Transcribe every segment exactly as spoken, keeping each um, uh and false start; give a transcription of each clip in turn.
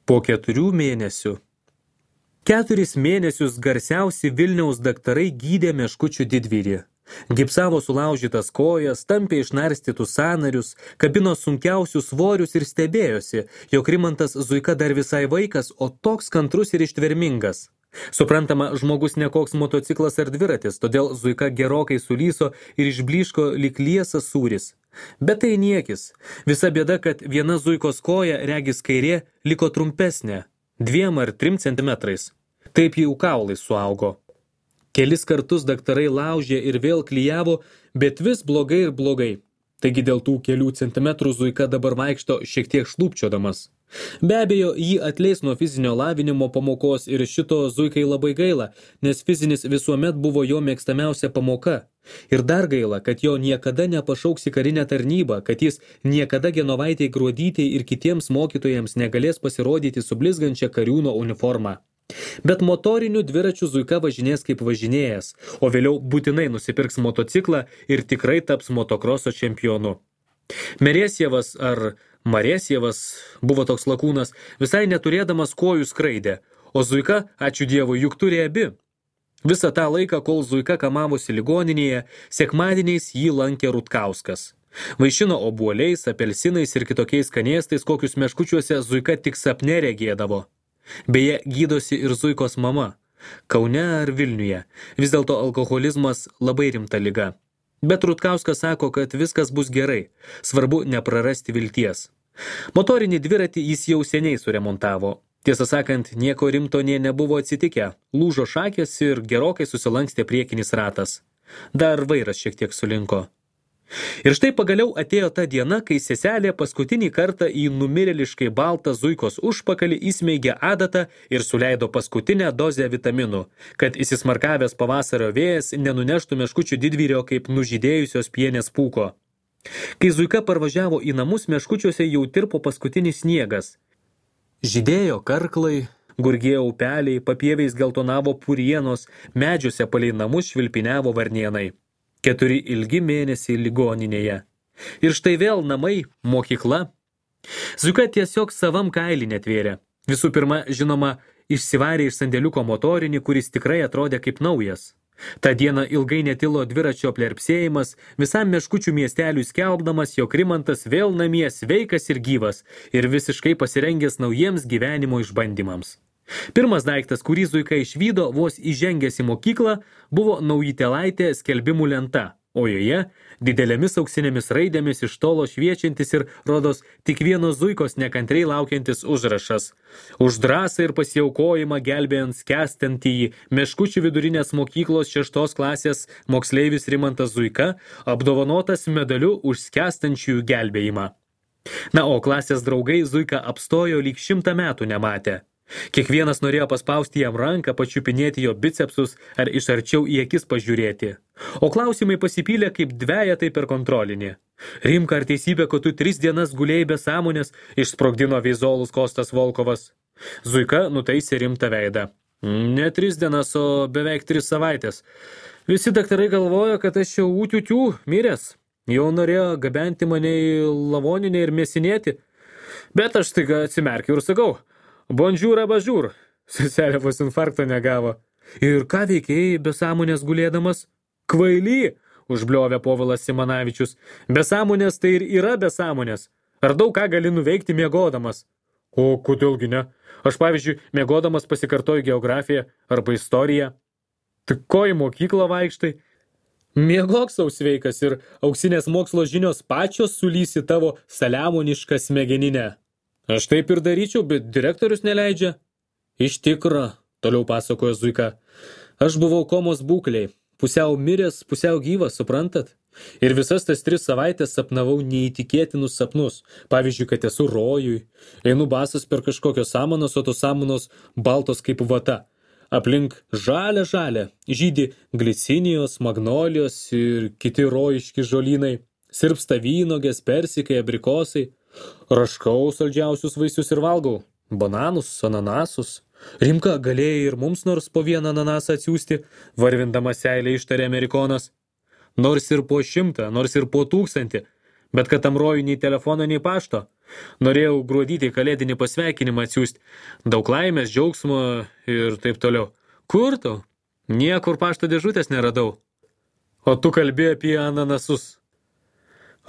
Po keturių mėnesių. Keturis mėnesius garsiausi Vilniaus daktarai gydė meškučių didvyrį. Gipsavo sulaužytas kojas, tampė išnarstytus sąnarius, kabino sunkiausius svorius ir stebėjosi, jog Rimantas Zuika dar visai vaikas, o toks kantrus ir ištvermingas. Suprantama, žmogus nekoks motociklas ar dviratis, todėl Zuika gerokai sulyso ir išblyško lyg liesas sūris. Bet tai niekis. Visa bėda, kad viena Zuikos koja, regis kairė, liko trumpesnė, dviem ar trim centimetrais. Taip jau kaulai suaugo. Kelis kartus daktarai laužė ir vėl klijavo, bet vis blogai ir blogai. Taigi dėl tų kelių centimetrų Zuika dabar vaikšto šiek tiek šlūpčiodamas. Be abejo, jį atleis nuo fizinio lavinimo pamokos ir šito Zuikai labai gaila, nes fizinis visuomet buvo jo mėgstamiausia pamoka. Ir dar gaila, kad jo niekada nepašauks į karinę tarnybą, kad jis niekada Genovaitei Gruodytei ir kitiems mokytojams negalės pasirodyti su blizgančia kariūno uniforma. Bet motorinių dviračių Zuika važinės kaip važinėjas, o vėliau būtinai nusipirks motociklą ir tikrai taps motokroso čempionu. Merėsievas ar Marėsievas buvo toks lakūnas, visai neturėdamas kojų skraidė, o Zuika, ačiū Dievui, juk turi abi. Visą tą laiką, kol Zuika kamavosi ligoninėje, sekmadieniais jį lankė Rutkauskas. Vaišino obuoliais, apelsinais ir kitokiais skanėstais, kokius meškučiuose Zuika tik sapne regėdavo. Beje, gydosi ir Zuikos mama. Kaune ar Vilniuje. Vis dėlto alkoholizmas labai rimta liga. Bet Rutkauskas sako, kad viskas bus gerai. Svarbu neprarasti vilties. Motorinį dviratį jis jau seniai suremontavo. Tiesą sakant, nieko rimto nė nebuvo atsitikę. Lūžo šakės ir gerokai susilankstė priekinis ratas. Dar vairas šiek tiek sulinko. Ir štai pagaliau atėjo ta diena, kai seselė paskutinį kartą į numirėliškai baltą Zuikos užpakalį įsmeigė adatą ir suleido paskutinę dozę vitaminų, kad įsismarkavęs pavasario vėjas nenuneštų meškučių didvyrio kaip nužydėjusios pienės pūko. Kai Zuika parvažiavo į namus, meškučiuose jau tirpo paskutinis sniegas. Žydėjo karklai, gurgėjo upeliai, papieviais geltonavo purienos, medžiuose palei namus švilpiniavo varnėnai. Keturi ilgi mėnesiai ligoninėje. Ir štai vėl namai, mokykla. Zuika tiesiog savam kailį netvėrė. Visų pirma, žinoma, išsivarė iš sandėliuko motorinį, kuris tikrai atrodė kaip naujas. Ta diena ilgai netilo dviračio plerpsėjimas, visam meškučių miesteliui skelbdamas, jog Rimantas vėl namie sveikas ir gyvas ir visiškai pasirengęs naujiems gyvenimo išbandymams. Pirmas daiktas, kurį Zuika išvydo vos įžengęs į mokyklą, buvo naujitelaitė skelbimų lenta, o joje didelėmis auksinėmis raidėmis iš tolo šviečiantis ir, rodos, tik vienos Zuikos nekantriai laukiantis užrašas. Už drąsą ir pasiaukojimą gelbėjant skęstantįjį meškučių vidurinės mokyklos šeštos klasės moksleivis Rimantas Zuika apdovanotas medaliu už skęstančiųjų gelbėjimą. Na, o klasės draugai Zuika apstojo lyg šimtą metų nematę. Kiekvienas norėjo paspausti jam ranką, pačiupinėti jo bicepsus ar iš arčiau į akis pažiūrėti. O klausimai pasipylė kaip dvejetai per kontrolinį. Rimka, ar teisybė, kad tu tris dienas gulėjai be sąmonės, išsprogdino veizolus Kostas Volkovas. Zuika nutaisė rimtą veidą. Ne tris dienas, o beveik tris savaitės. Visi daktarai galvojo, kad aš jau ūtiutių miręs. Jau norėjo gabenti mane į lavoninę ir mėsinėti. Bet aš staiga atsimerkiau ir sakau: Bonžiūr, abažiūr. Seselė vos infarkto negavo. Ir ką veikėjai be sąmonės gulėdamas? Kvaily, užbliovė Povilas Simanavičius. Be sąmonės tai ir yra be sąmonės. Ar daug ką gali nuveikti miegodamas? O kodėlgi ne? Aš, pavyzdžiui, miegodamas pasikartoju geografiją arba istoriją. Tik ko į mokyklą vaikštai? Miegok sau sveikas ir auksinės mokslo žinios pačios sulysi tavo saliamonišką smegeninę. Aš taip ir daryčiau, bet direktorius neleidžia. Iš tikro, toliau pasakojo Zuika. Aš buvau komos būkliai, pusiau miręs, pusiau gyvas, suprantat? Ir visas tas tris savaitės sapnavau neįtikėtinus sapnus. Pavyzdžiui, kad esu rojui. Einu basas per kažkokios samanos, o tos samanos baltos kaip vata. Aplink žalia žalia, žydi glicinijos, magnolijos ir kiti rojiški žolynai. Sirpsta vynogės, persikai, abrikosai. Raškau saldžiausius vaisius ir valgau. Bananus, ananasus. Rimka, galėjai ir mums nors po vieną ananasą atsiųsti, varvindamas seilę ištarė Amerikonas. Nors ir po šimtą, nors ir po tūkstantį. Bet kad tam rojui nei telefono, nei pašto. Norėjau Gruodytei kalėdinį pasveikinimą atsiųsti. Daug laimės, džiaugsmo ir taip toliau. Kur tu? Niekur pašto dėžutės neradau. O tu kalbėjai apie ananasus.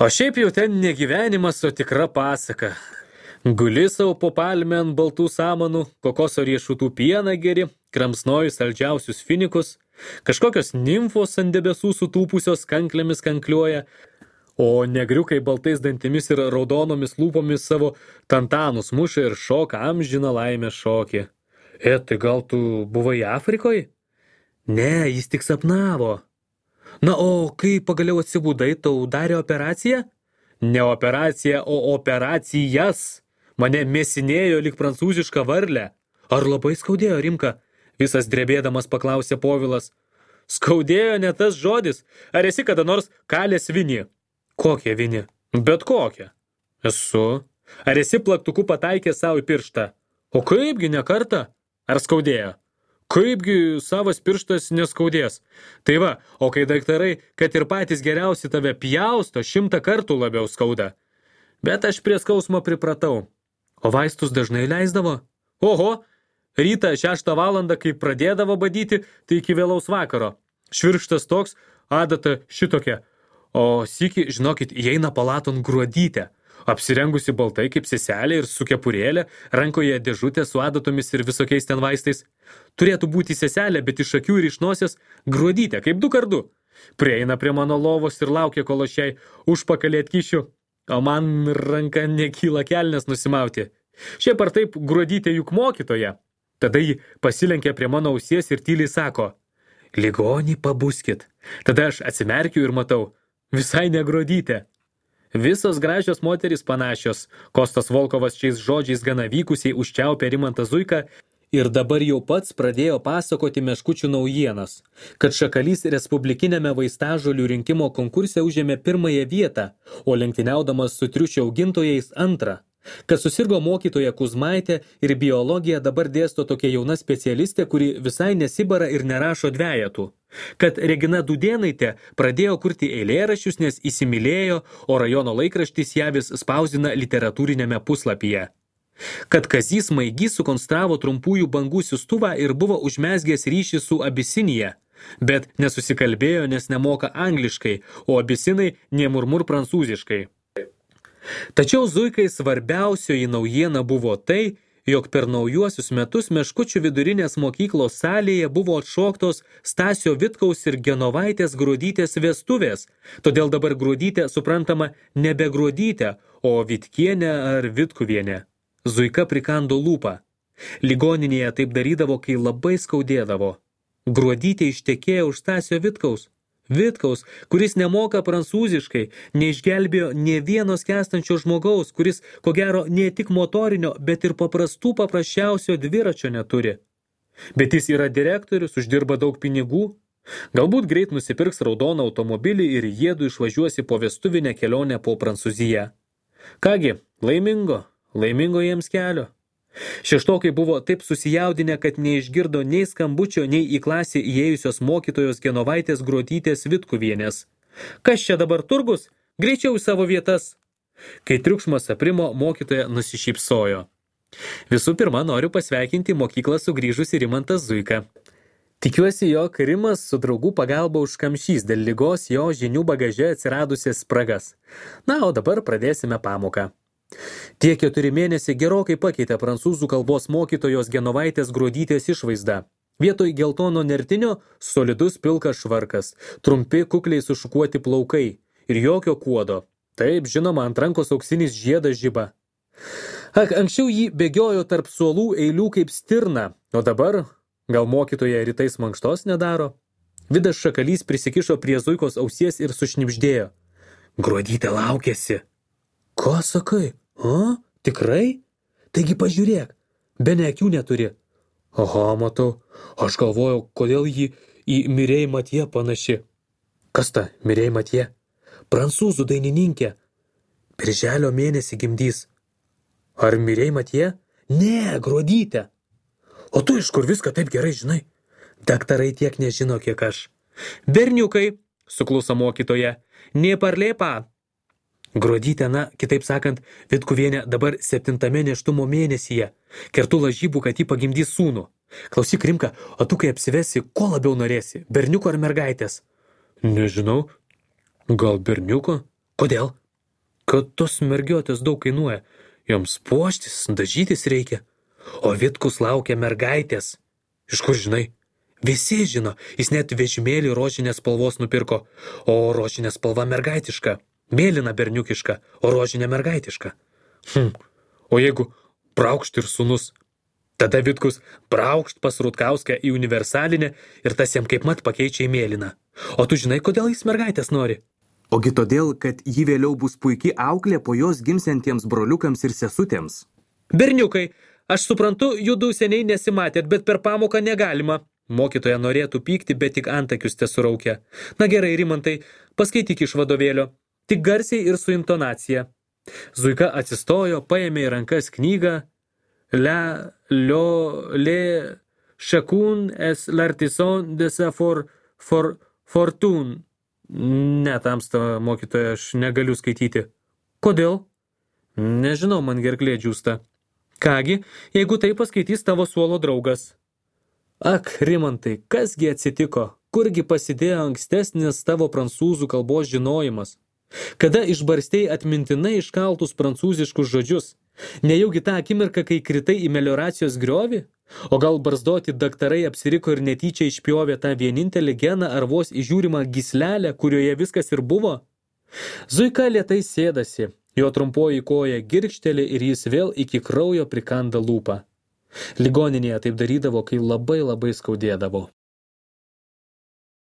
O šiaip jau ten ne gyvenimas, o tikra pasaka. Guli savo po palmę ant baltų samanų, kokoso riešutų pieną geri, kramsnoju saldžiausius finikus, kažkokios nimfos ant debesų sutūpusios kanklėmis kankliuoja, o negriukai baltais dantimis ir raudonomis lūpomis savo tantanus muša ir šoka amžiną laimę šokį. E, tai gal tu buvai Afrikoje? Ne, jis tik sapnavo. Na, o kai pagaliau atsibudai, tau darė operaciją? Ne operacija, o operacijas. Mane mėsinėjo lyg prancūzišką varlę. Ar labai skaudėjo, Rimka? Visas drebėdamas paklausė Povilas. Skaudėjo ne tas žodis. Ar esi kada nors kalęs vinį? Kokią vinį? Bet kokią. Esu. Ar esi plaktuku pataikė savo į pirštą? O kaipgi ne kartą? Ar skaudėjo? Kaipgi savas pirštas neskaudės? Tai va, o kai daktarai, kad ir patys geriausi tave pjausto, šimtą kartų labiau skauda. Bet aš prie skausmo pripratau. O vaistus dažnai leisdavo? Oho, rytą šeštą valandą, kai pradėdavo badyti, tai iki vėlaus vakaro. Švirkštas toks, adata šitokia. O sykį, žinokit, įeina palaton Gruodytė. Apsirengusi baltai kaip seselė ir su kepurėlė, rankoje dėžutė su adatomis ir visokiais ten vaistais. Turėtų būti seselė, bet iš akių ir iš nosies Gruodytė, kaip du kardu. Prieina prie mano lovos ir laukia, kol aš jai užpakalį atkišiu, o man ranka nekyla kelnes nusimauti. Šiaip ar taip Gruodytė juk mokytoja. Tada ji pasilenkia prie mano ausies ir tyliai sako, ligonį pabuskit. Tada aš atsimerkiu ir matau, visai ne Gruodytė. Visos gražios moterys panašios. Kostas Volkovas šiais žodžiais gana vykusiai užčiaupė Rimantą Zuiką ir dabar jau pats pradėjo pasakoti meškučių naujienas, kad Šakalys respublikinėme vaistažolių rinkimo konkurse užėmė pirmąją vietą, o lenktyniaudamas su triušio augintojais antrą. Kad susirgo mokytoja Kuzmaitė ir biologiją dabar dėsto tokia jauna specialistė, kuri visai nesibara ir nerašo dvejetų. Kad Regina Dudėnaitė pradėjo kurti eilėraščius, nes įsimylėjo, o rajono laikraštis ją vis spausdina literatūrinėme puslapyje. Kad Kazys Maigys sukonstravo trumpųjų bangų siųstuvą ir buvo užmezgęs ryšį su Abisinija, bet nesusikalbėjo, nes nemoka angliškai, o abisinai nemurmur prancūziškai. Tačiau Zuikai svarbiausioji naujiena buvo tai, jog per naujuosius metus Meškučių vidurinės mokyklos salėje buvo atšoktos Stasio Vitkaus ir Genovaitės Gruodytės vestuvės, todėl dabar Gruodytė suprantama nebe Gruodytė, o Vitkienė ar Vitkuvienė. Zuika prikando lūpą. Ligoninėje taip darydavo, kai labai skaudėdavo. Gruodytė ištekėjo už Stasio Vitkaus. Vitkaus, kuris nemoka prancūziškai, neišgelbėjo nė vieno skęstančio žmogaus, kuris, ko gero, ne tik motorinio, bet ir paprastų paprasčiausio dviračio neturi. Bet jis yra direktorius, uždirba daug pinigų. Galbūt greit nusipirks raudoną automobilį ir jiedu išvažiuosi po vestuvinę kelionę po Prancūziją. Kągi, laimingo, laimingo jiems kelio. Šeštokai buvo taip susijaudinę, kad neišgirdo nei skambučio, nei į klasę įėjusios mokytojos Genovaitės Gruodytės Vitkuvienės. Kas čia dabar turgus? Greičiau į savo vietas. Kai triukšmas aprimo, mokytoja nusišypsojo. Visų pirma, noriu pasveikinti mokyklą sugrįžusi Rimantas Zuika. Tikiuosi, jog Rimas su draugų pagalba užkamšys dėl ligos jo žinių bagaže atsiradusias spragas. Na, o dabar pradėsime pamoką. Tie keturi mėnesiai gerokai pakeitė prancūzų kalbos mokytojos Genovaitės Gruodytės išvaizdą. Vietoj geltono nertinio solidus pilkas švarkas, trumpi kukliai sušukuoti plaukai ir jokio kuodo. Taip, žinoma, ant rankos auksinis žiedas žiba. Ak, anksčiau jį bėgiojo tarp suolų eilių kaip stirna, o dabar gal mokytoja rytais mankštos nedaro? Vidas Šakalys prisikišo prie Zuikos ausies ir sušnibždėjo. Gruodytė laukiasi. Ko sakai? O, tikrai? Taigi pažiūrėk, be ne akių neturi. Aha, matau, aš galvojau, kodėl jį į Mirei Matije panaši. Kas ta Mirei Matije? Prancūzų dainininkė. Birželio mėnesį gimdys. Ar Mirei Matije? Ne, Gruodytė. O tu iš kur viską taip gerai žinai? Daktarai tiek nežino, kiek aš. Berniukai, sukluso mokytoja, ne parlėpa. Gruodytė, na, kitaip sakant, Vitkuvienė dabar septintame nėštumo mėnesyje. Kertu lažybų, kad jį pagimdys sūnų. Klausyk, Rimka, o tu kai apsivesi, ko labiau norėsi? Berniuko ar mergaitės? Nežinau. Gal berniuko? Kodėl? Kad tos mergiotės daug kainuoja. Joms puoštis, dažytis reikia. O Vitkus laukia mergaitės. Iš kur žinai? Visi žino, jis net vežimėlį rožinės spalvos nupirko. O rožinė spalva mergaitiška. Mėlyna berniukiška, o rožinė mergaitiška. Hm. O jeigu braukšt ir sūnus? Tada Vitkus braukšt pas Rutkauskę į universalinę ir tas jam kaip mat pakeičia į mėlyną. O tu žinai, kodėl jis mergaitės nori? Ogi todėl, kad ji vėliau bus puikiai auklė po jos gimsiantiems broliukams ir sesutėms. Berniukai, aš suprantu, judų seniai nesimatėt, bet per pamoką negalima. Mokytoja norėtų pykti, bet tik antakius tesuraukia. Na gerai, Rimantai, paskaityk iš vadovėlio. Tik garsiai ir su intonacija. Zuika atsistojo, paėmė į rankas knygą La, Lio, Le, Chacun es l'artisan de sa for, for, fortune. Ne, tamsta, mokytoja, aš negaliu skaityti. Kodėl? Nežinau, man gerklė džiūsta. Kągi, jeigu tai paskaitys tavo suolo draugas. Ak, Rimantai, kasgi atsitiko? Kurgi pasidėjo ankstesnis tavo prancūzų kalbos žinojimas? Kada išbarstei atmintinai iškaltus prancūziškus žodžius? Nejaugi tą akimirką, kai kritai į melioracijos griovį? O gal barzdoti daktarai apsiriko ir netyčia išpjovė tą vienintelį geną ar vos įžiūrimą gyslelę, kurioje viskas ir buvo? Zuika lėtai sėdasi, jo trumpoji koja girkšteli ir jis vėl iki kraujo prikanda lūpą. Ligoninėje taip darydavo, kai labai labai skaudėdavo.